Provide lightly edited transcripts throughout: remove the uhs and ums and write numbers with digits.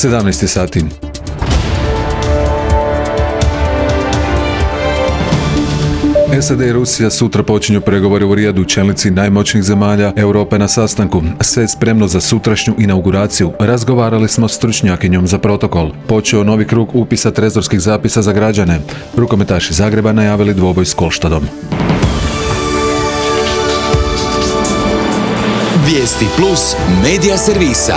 17 sati. SAD i Rusija sutra počinju pregovore u Rijadu, čelnici najmoćnijih zemalja Europe na sastanku. Sve je spremno za sutrašnju inauguraciju. Razgovarali smo s stručnjakinjom za protokol. Počeo novi krug upisa trezorskih zapisa za građane. Rukometaši Zagreba najavili dvoboj s Kolštadom. Vijesti Plus medija servisa.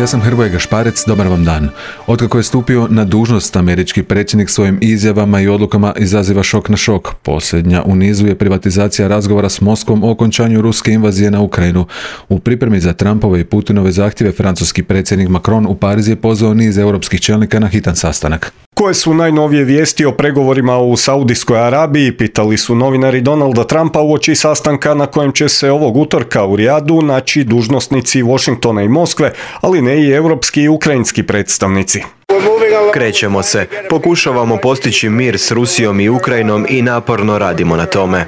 Ja sam Hrvoje Gašparec, dobar vam dan. Otkako je stupio na dužnost, američki predsjednik svojim izjavama i odlukama izaziva šok na šok. Posljednja u nizu je privatizacija razgovora s Moskvom o okončanju ruske invazije na Ukrajinu. U pripremi za Trumpove i Putinove zahtjeve francuski predsjednik Macron u Pariz je pozvao niz europskih čelnika na hitan sastanak. Koje su najnovije vijesti o pregovorima u Saudijskoj Arabiji, pitali su novinari Donalda Trumpa uoči sastanka na kojem će se ovog utorka u Rijadu naći dužnosnici Washingtona i Moskve, ali ne i europski i ukrajinski predstavnici. Krećemo se. Pokušavamo postići mir s Rusijom i Ukrajinom i naporno radimo na tome.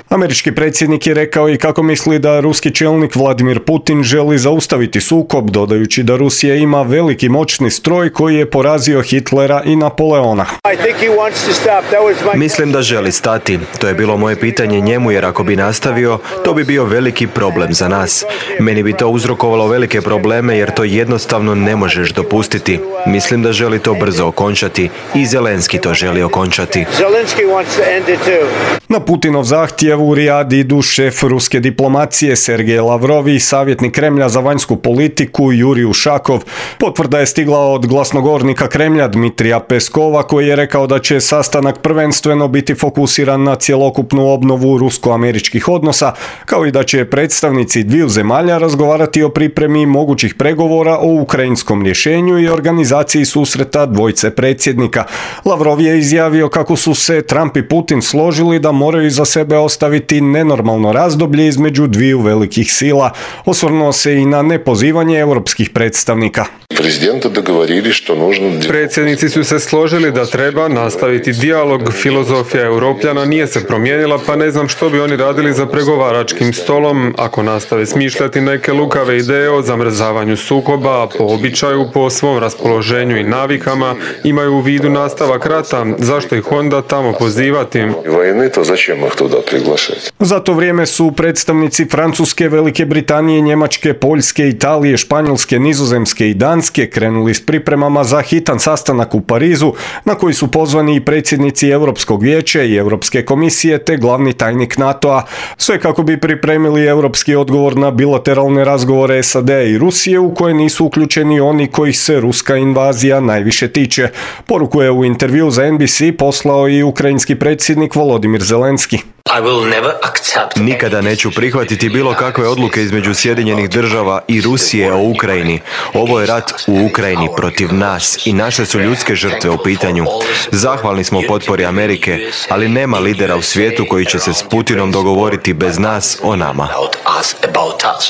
Američki predsjednik je rekao i kako misli da ruski čelnik Vladimir Putin želi zaustaviti sukob, dodajući da Rusija ima veliki moćni stroj koji je porazio Hitlera i Napoleona. Mislim da želi stati. To je bilo moje pitanje njemu, jer ako bi nastavio, to bi bio veliki problem za nas. Meni bi to uzrokovalo velike probleme, jer to jednostavno ne možeš dopustiti. Mislim da želi to brzo okončati i Zelenski to želi okončati. Na Putinov zahtjev u Rijad idu šef ruske diplomacije Sergej Lavrov i savjetnik Kremlja za vanjsku politiku Jurij Ušakov. Potvrda je stigla od glasnogovornika Kremlja Dmitrija Peskova, koji je rekao da će sastanak prvenstveno biti fokusiran na cjelokupnu obnovu rusko-američkih odnosa, kao i da će predstavnici dviju zemalja razgovarati o pripremi mogućih pregovora o ukrajinskom rješenju i organizaciji susreta dvojce predsjednika. Lavrov je izjavio kako su se Trump i Putin složili da moraju iza sebe ostaviti nenormalno razdoblje između dviju velikih sila. Osvrnuo se i na nepozivanje europskih predstavnika. Predsjednici su se složili da treba nastaviti dijalog. Filozofija Europljana nije se promijenila, pa ne znam što bi oni radili za pregovaračkim stolom ako nastave smišljati neke lukave ideje o zamrzavanju sukoba, po običaju, po svom raspoloženju i navikama, imaju u vidu nastavak rata. Zašto ih onda tamo pozivati? Za to vrijeme su predstavnici Francuske, Velike Britanije, Njemačke, Poljske, Italije, Španjolske, Nizozemske i Danske krenuli s pripremama za hitan sastanak u Parizu, na koji su pozvani i predsjednici Europskog vijeća i Europske komisije te glavni tajnik NATO-a. Sve kako bi pripremili europski odgovor na bilateralne razgovore SAD-a i Rusije u koje nisu uključeni oni kojih se ruska invazija najviše tiče. Poruku je u intervju za NBC poslao i ukrajinski predsjednik Volodimir Zelenski. Nikada neću prihvatiti bilo kakve odluke između Sjedinjenih Država i Rusije o Ukrajini. Ovo je rat u Ukrajini protiv nas i naše su ljudske žrtve u pitanju. Zahvalni smo potpori Amerike, ali nema lidera u svijetu koji će se s Putinom dogovoriti bez nas o nama.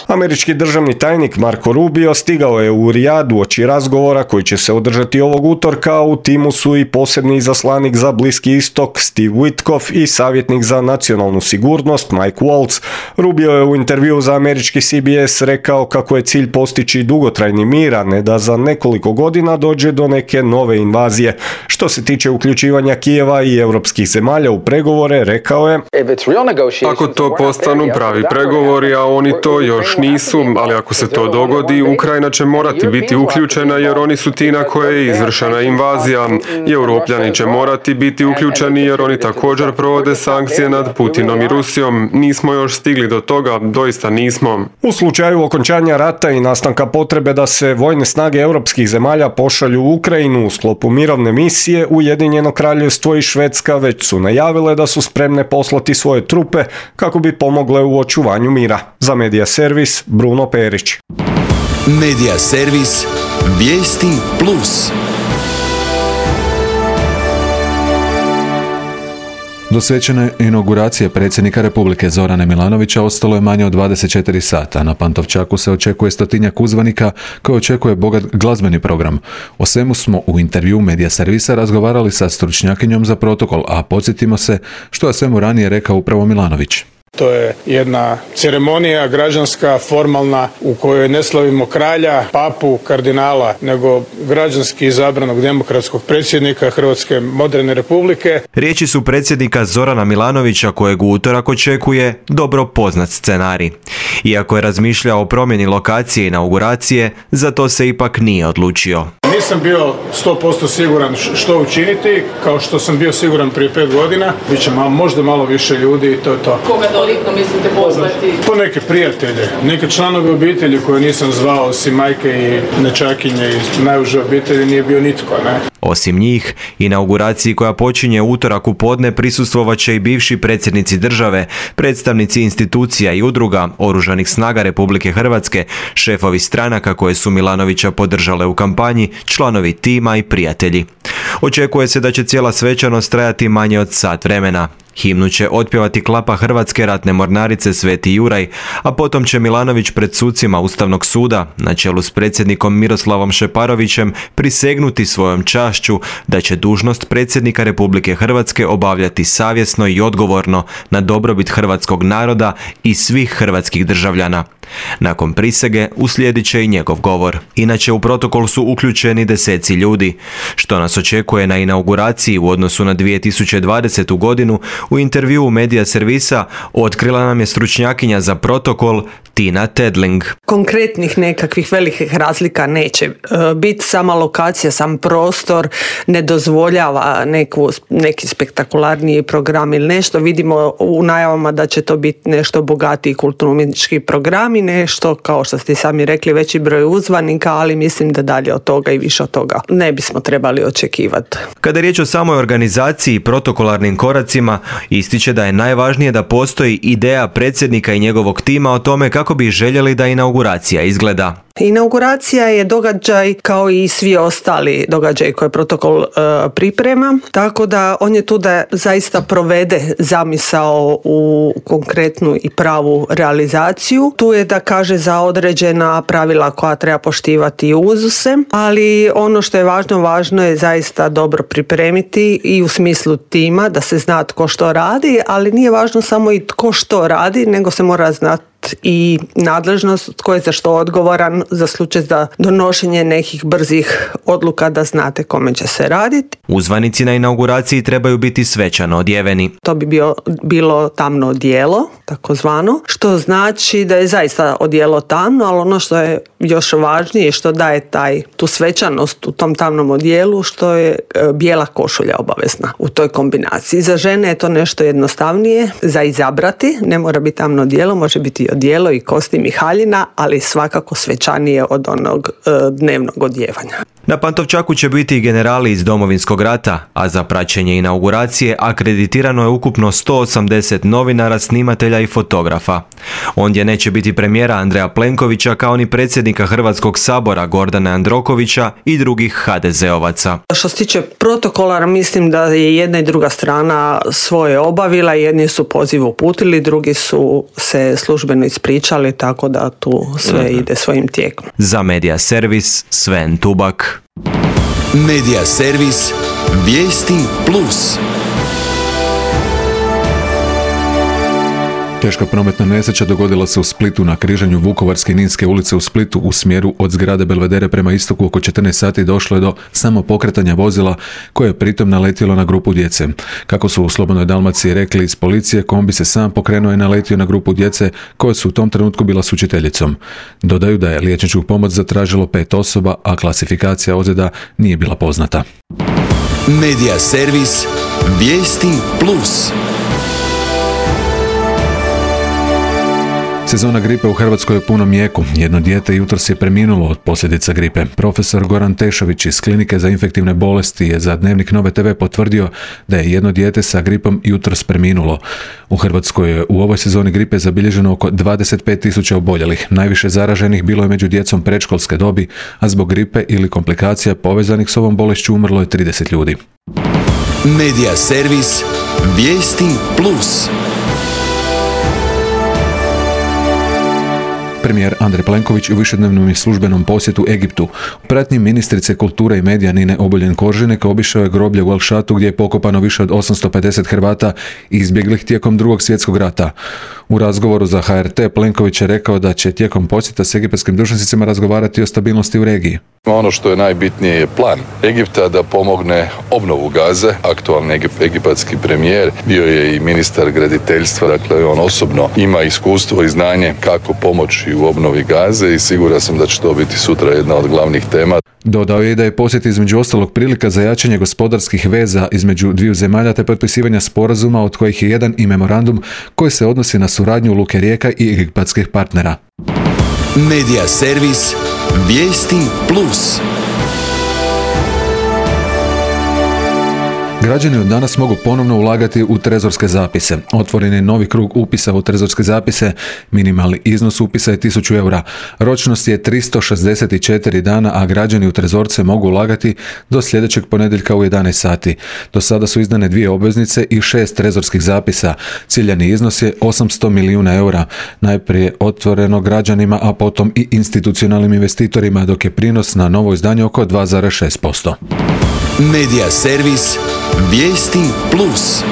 Američki državni tajnik Marco Rubio stigao je u Rijad uoči razgovora koji će se održati ovog utorka. U timu su i posebni izaslanik za Bliski istok Steve Witkoff i savjetnik za nacionalnu sigurnost Mike Waltz. Rubio je u intervju za američki CBS rekao kako je cilj postići dugotrajni mir, a ne da za nekoliko godina dođe do neke nove invazije. Što se tiče uključivanja Kijeva i europskih zemalja u pregovore, rekao je: Ako to postanu pravi pregovori, a oni to još nisu, ali ako se to dogodi, Ukrajina će morati biti uključena jer oni su ti na koje je izvršena invazija. I Europljani će morati biti uključeni jer oni također provode sankcije nad Putinom i Rusijom. Nismo još stigli do toga, doista nismo. U slučaju okončanja rata i nastanka potrebe da se vojne snage europskih zemalja pošalju u Ukrajinu u sklopu mirovne misije, Ujedinjeno Kraljevstvo i Švedska već su najavile da su spremne poslati svoje trupe kako bi pomogle u očuvanju mira. Za Medija servis Bruno Perić. Medija servis Vijesti Plus. Do svečane inauguracije predsjednika Republike Zorana Milanovića ostalo je manje od 24 sata. Na Pantovčaku se očekuje 100-tinjak uzvanika koji očekuje bogat glazbeni program. O svemu smo u intervju Medija servisa razgovarali sa stručnjakinjom za protokol, a podsjetimo se što je svemu ranije rekao upravo Milanović. To je jedna ceremonija građanska, formalna, u kojoj ne slavimo kralja, papu, kardinala, nego građanski izabranog demokratskog predsjednika Hrvatske moderne republike. Riječi su predsjednika Zorana Milanovića, kojeg u utorak očekuje dobro poznat scenarij. Iako je razmišljao o promjeni lokacije inauguracije, za to se ipak nije odlučio. Nisam bio 100% siguran što učiniti, kao što sam bio siguran prije 5 godina. Biće možda malo više ljudi i to je to. Koga dolikno mislite pozvati? Po neke prijatelje, neke članove obitelji koje nisam zvao, osim majke i nečakinje i najuže obitelji nije bio nitko, ne? Osim njih, inauguraciji koja počinje utorak u podne prisustvovat će i bivši predsjednici države, predstavnici institucija i udruga, Oružanih snaga Republike Hrvatske, šefovi stranaka koje su Milanovića podržale u kampanji, članovi tima i prijatelji. Očekuje se da će cijela svečanost trajati manje od sat vremena. Himnu će otpjevati klapa Hrvatske ratne mornarice Sveti Juraj, a potom će Milanović pred sucima Ustavnog suda, na čelu s predsjednikom Miroslavom Šeparovićem, prisegnuti svojom čašću da će dužnost predsjednika Republike Hrvatske obavljati savjesno i odgovorno na dobrobit hrvatskog naroda i svih hrvatskih državljana. Nakon prisege uslijedit će i njegov govor. Inače, u protokol su uključeni deseci ljudi. Što nas očekuje na inauguraciji u odnosu na 2020. godinu, u intervjuu Medija servisa otkrila nam je stručnjakinja za protokol Tina Tedling. Konkretnih nekakvih velikih razlika neće biti. Sama lokacija, sam prostor ne dozvoljava neki spektakularniji program ili nešto. Vidimo u najavama da će to biti nešto bogatiji kulturno-umjetnički program i nešto, kao što ste sami rekli, veći broj uzvanika, ali mislim da dalje od toga i više od toga ne bismo trebali očekivati. Kada je riječ o samoj organizaciji i protokolarnim koracima, ističe da je najvažnije da postoji ideja predsjednika i njegovog tima o tome kako bi željeli da inauguracija izgleda. Inauguracija je događaj kao i svi ostali događaji koje protokol priprema, tako da on je tu da zaista provede zamisao u konkretnu i pravu realizaciju. Tu je da kaže za određena pravila koja treba poštivati i uzuse, ali ono što je važno je zaista dobro pripremiti i u smislu tima, da se zna tko što radi, ali nije važno samo i tko što radi, nego se mora znati i nadležnost, tko je za što odgovoran za slučaj za donošenje nekih brzih odluka, da znate kome će se raditi. Uzvanici na inauguraciji trebaju biti svečano odjeveni. To bi bilo tamno odijelo, takozvano, što znači da je zaista odijelo tamno, ali ono što je još važnije, što daje tu svečanost u tom tamnom odijelu, što je bijela košulja obavezna u toj kombinaciji. Za žene je to nešto jednostavnije za izabrati, ne mora biti tamno odijelo, može biti odijelo i kostim i haljina, ali svakako svečanije od onog dnevnog odjevanja. Na Pantovčaku će biti i generali iz Domovinskog rata, a za praćenje inauguracije akreditirano je ukupno 180 novinara, snimatelja i fotografa. Ondje neće biti premijera Andreja Plenkovića, kao ni predsjednika Hrvatskog sabora Gordana Jandrokovića i drugih HDZ-ovaca. Što se tiče protokola, mislim da je jedna i druga strana svoje obavila, jedni su poziv uputili, drugi su se službeno ispričali, tako da tu sve ide svojim tijekom. Za Medija servis, Sven Tubak. Medija servis, vijesti plus. Teška prometna nesreća dogodila se u Splitu na križanju Vukovarske i Ninske ulice u Splitu u smjeru od zgrade Belvedere prema istoku. Oko 14 sati došlo je do samopokretanja vozila koje je pritom naletjelo na grupu djece. Kako su u Slobodnoj Dalmaciji rekli iz policije, kombi se sam pokrenuo i naletio na grupu djece koje su u tom trenutku bila s učiteljicom. Dodaju da je liječničku pomoć zatražilo 5 osoba, a klasifikacija ozljeda nije bila poznata. Medija servis, vijesti plus. Sezona gripe u Hrvatskoj je u punom jeku. Jedno dijete jutros je preminulo od posljedica gripe. Profesor Goran Tešović iz Klinike za infektivne bolesti je za Dnevnik Nove TV potvrdio da je jedno dijete sa gripom jutros preminulo. U Hrvatskoj je u ovoj sezoni gripe zabilježeno oko 25.000 oboljelih. Najviše zaraženih bilo je među djecom predškolske dobi, a zbog gripe ili komplikacija povezanih s ovom bolešću umrlo je 30 ljudi. Medija servis, vijesti plus. Premijer Andrej Plenković u višednevnom i službenom posjetu Egiptu. U pratnji ministrice kulture i medija Nine Obuljen-Koržinek obišao je groblje u El Šatu gdje je pokopano više od 850 Hrvata izbjeglih tijekom Drugog svjetskog rata. U razgovoru za HRT Plenković je rekao da će tijekom posjeta s egipatskim dužnosnicima razgovarati o stabilnosti u regiji. Ono što je najbitnije je plan Egipta da pomogne obnovu Gaze. Aktualni egipatski premijer bio je i ministar graditeljstva, dakle on osobno ima iskustvo i znanje kako pomoći u obnovi Gaze i siguran sam da će to biti sutra jedna od glavnih tema. Dodao je da je posjet između ostalog prilika za jačanje gospodarskih veza između dviju zemalja te potpisivanja sporazuma od kojih je jedan i memorandum koji se odnosi na suradnju Luke Rijeka i egipatskih partnera. Medija servis Vijesti Plus. Građani od danas mogu ponovno ulagati u trezorske zapise. Otvoren je novi krug upisa u trezorske zapise. Minimalni iznos upisa je 1000 eura. Ročnost je 364 dana, a građani u trezorce mogu ulagati do sljedećeg ponedjeljka u 11 sati. Do sada su izdane 2 obveznice i 6 trezorskih zapisa. Ciljani iznos je 800 milijuna eura. Najprije otvoreno građanima, a potom i institucionalnim investitorima, dok je prinos na novo izdanje oko 2,6%. Medija servis Vijesti Plus.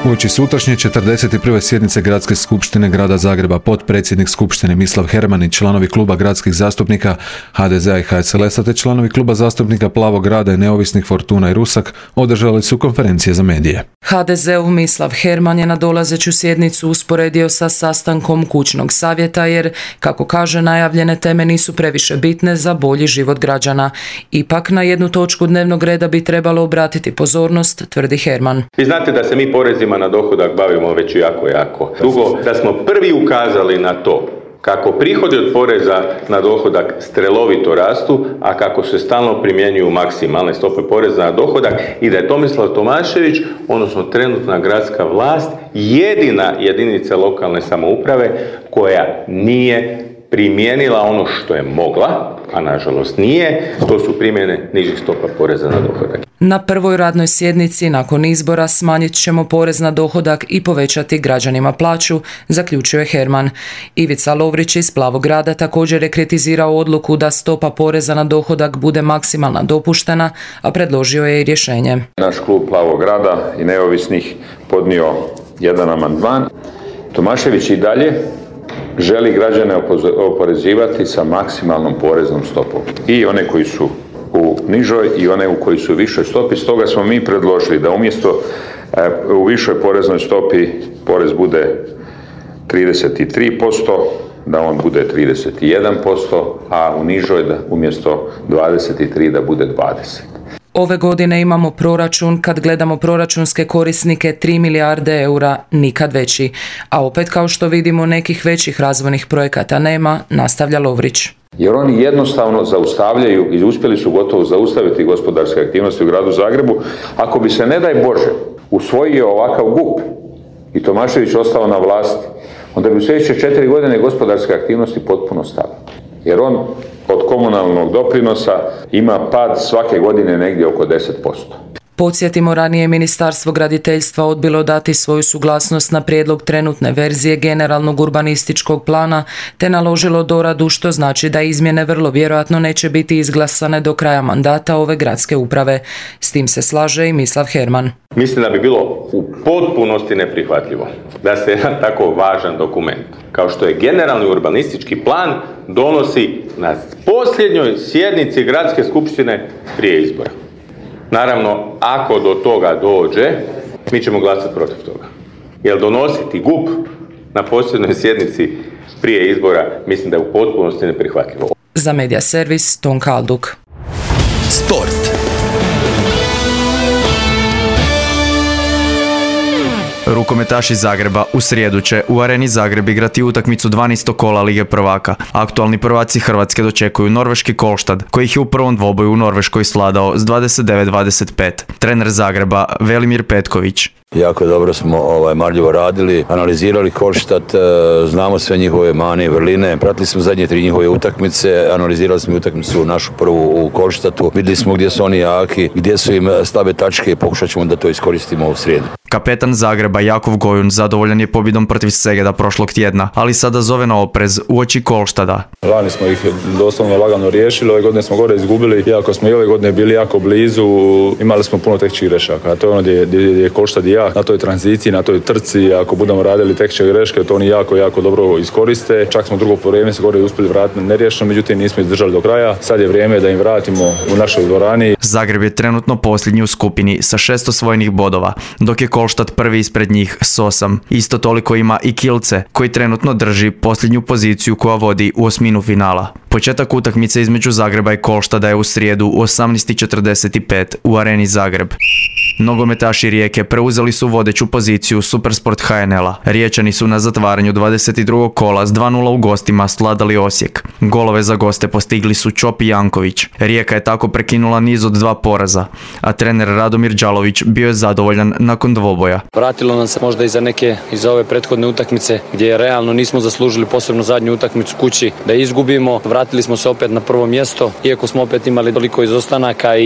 Uoči sutrašnje 41. sjednice Gradske skupštine Grada Zagreba potpredsjednik skupštine Mislav Herman i članovi kluba gradskih zastupnika HDZ-a i HSLS-a te članovi kluba zastupnika Plavog grada i neovisnih Fortuna i Rusak održali su konferencije za medije. HDZ-ov Mislav Herman je na dolazeću sjednicu usporedio sa sastankom kućnog savjeta jer, kako kaže, najavljene teme nisu previše bitne za bolji život građana. Ipak na jednu točku dnevnog reda bi trebalo obratiti pozornost, tvrdi Herman. Vi znate da se mi porezima na dohodak bavimo već jako dugo, da smo prvi ukazali na to kako prihodi od poreza na dohodak strelovito rastu, a kako se stalno primjenjuju maksimalne stope poreza na dohodak i da je Tomislav Tomašević, odnosno trenutna gradska vlast, jedina jedinica lokalne samouprave koja nije primijenila ono što je mogla, a nažalost nije, to su primjene nižih stopa poreza na dohodak. Na prvoj radnoj sjednici nakon izbora smanjit ćemo porez na dohodak i povećati građanima plaću, zaključio je Herman. Ivica Lovrić iz Plavog grada također je kritizirao odluku da stopa poreza na dohodak bude maksimalna dopuštena, a predložio je i rješenje. Naš klub Plavog grada i neovisnih podnio jedan amandman. Tomašević i dalje želi građane oporezivati sa maksimalnom poreznom stopom. I one koji su u nižoj i one u koji su u višoj stopi. Stoga smo mi predložili da umjesto u višoj poreznoj stopi porez bude 33%, da on bude 31%, a u nižoj da umjesto 23% da bude 20%. Ove godine imamo proračun, kad gledamo proračunske korisnike, 3 milijarde eura, nikad veći. A opet, kao što vidimo, nekih većih razvojnih projekata nema, nastavlja Lovrić. Jer oni jednostavno zaustavljaju i uspjeli su gotovo zaustaviti gospodarske aktivnosti u gradu Zagrebu. Ako bi se, ne daj Bože, usvojio ovakav GUP i Tomašević ostao na vlasti, onda bi u sljedeće 4 godine gospodarske aktivnosti potpuno stale. Jer on od komunalnog doprinosa ima pad svake godine negdje oko 10%. Podsjetimo, ranije Ministarstvo graditeljstva odbilo dati svoju suglasnost na prijedlog trenutne verzije generalnog urbanističkog plana te naložilo doradu, što znači da izmjene vrlo vjerojatno neće biti izglasane do kraja mandata ove gradske uprave. S tim se slaže i Mislav Herman. Mislim da bi bilo u potpunosti neprihvatljivo da se jedan tako važan dokument, kao što je generalni urbanistički plan, donosi na posljednjoj sjednici gradske skupštine prije izbora. Naravno, ako do toga dođe, mi ćemo glasati protiv toga. Jer donositi GUP na posljednjoj sjednici prije izbora, mislim da je u potpunosti neprihvatljivo. Za Medija servis, Tonka Alduk. Sport. Rukometaši Zagreba u srijedu će u Areni Zagreb igrati utakmicu 12. kola Lige prvaka. Aktualni prvaci Hrvatske dočekuju norveški Kolštad, koji ih je u prvom dvoboju u Norveškoj svladao s 29-25. Trener Zagreba Velimir Petković. Jako dobro smo marljivo radili, analizirali Kolštad, znamo sve njihove mane i vrline, pratili smo zadnje 3 njihove utakmice, analizirali smo utakmicu našu prvu u Kolštatu, vidjeli smo gdje su oni jaki, gdje su im slabe tačke i pokušat ćemo da to iskoristimo u srijedu. Kapetan Zagreba Jakov Gojun zadovoljan je pobjedom protiv Segeda prošlog tjedna, ali sada zove na oprez uoči Kolštada. Lani smo ih doslovno lagano riješili, ove godine smo gore izgubili, iako smo i ove godine bili jako blizu, imali smo puno tehničkih grešaka. To je ono gdje je Kolštad i jak, na toj tranziciji, na toj trci, ako budemo radili tehničke greške, to oni jako dobro iskoriste. Čak smo drugo vrijeme se gore uspjeli vratiti neriješeno, međutim nismo izdržali do kraja. Sad je vrijeme da im vratimo u našoj dvorani. Zagreb je trenutno posljednji u skupini sa 6 osvojenih bodova, dok je Kolštad prvi ispred njih s 8. Isto toliko ima i Kielce, koji trenutno drži posljednju poziciju koja vodi u osminu finala. Početak utakmice između Zagreba i Kolštada je u srijedu u 18:45 u Areni Zagreb. Nogometaši Rijeke preuzeli su vodeću poziciju Supersport HNL-a. Riječani su na zatvaranju 22. kola s 2:0 u gostima svladali Osijek. Golove za goste postigli su Čop i Janković. Rijeka je tako prekinula niz od 2 poraza, a trener Radomir Đalović bio je zadovoljan nakon dvoboja. Vratilo nam se možda iz ove prethodne utakmice gdje realno nismo zaslužili, posebno zadnju utakmicu kući, da izgubimo. Vratili smo se opet na prvo mjesto, iako smo opet imali toliko izostanaka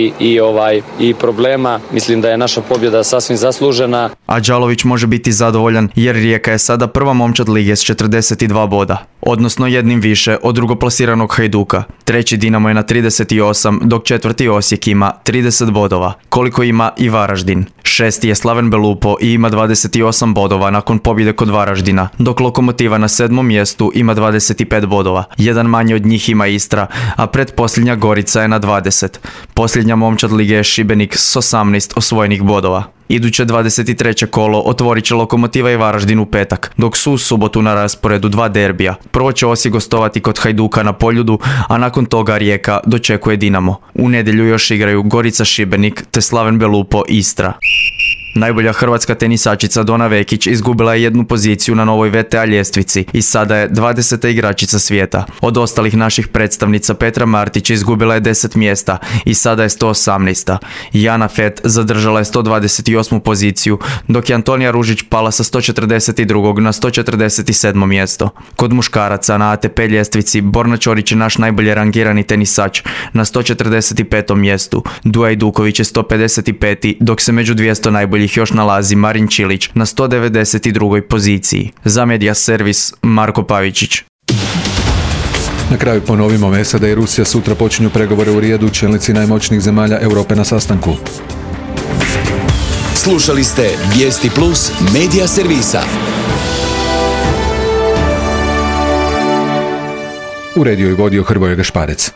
i problema. Mislim da je naša pobjeda sasvim zaslužena. A Đalović može biti zadovoljan jer Rijeka je sada prva momčad lige s 42 boda, odnosno jednim više od drugoplasiranog Hajduka. Treći Dinamo je na 38, dok četvrti Osijek ima 30 bodova, koliko ima i Varaždin. Šesti je Slaven Belupo i ima 28 bodova nakon pobjede kod Varaždina, dok Lokomotiva na 7. mjestu ima 25 bodova. Jedan manje od njih ima Istra, a pretposljednja Gorica je na 20. Posljednja momčad lige je Šibenik s 18 osvojenih bodova. Iduće 23. kolo otvorit će Lokomotiva i Varaždin u petak, dok su u subotu na rasporedu 2 derbija. Prvo će Osijek gostovati kod Hajduka na Poljudu, a nakon toga Rijeka dočekuje Dinamo. U nedjelju još igraju Gorica Šibenik te Slaven Belupo Istra. Najbolja hrvatska tenisačica Dona Vekić izgubila je 1 poziciju na novoj VTA ljestvici i sada je 20. igračica svijeta. Od ostalih naših predstavnica Petra Martić izgubila je 10 mjesta i sada je 118. Jana Fett zadržala je 128. poziciju, dok je Antonija Ružić pala sa 142. na 147. mjesto. Kod muškaraca na ATP ljestvici Borna Ćorić je naš najbolje rangirani tenisač na 145. mjestu. Duja Iduković je 155. dok se među 200 najboljih još nalazi Marin Čilić na 192. poziciji. Za Media Servis Marko Pavičić. Na kraju ponovimo, SAD i Rusija sutra počinju pregovore u Rijadu, čelnici najmoćnijih zemalja Europe na sastanku. Slušali ste Vijesti Plus Media Servisa. Uredio i vodio Hrvoje Gašparec.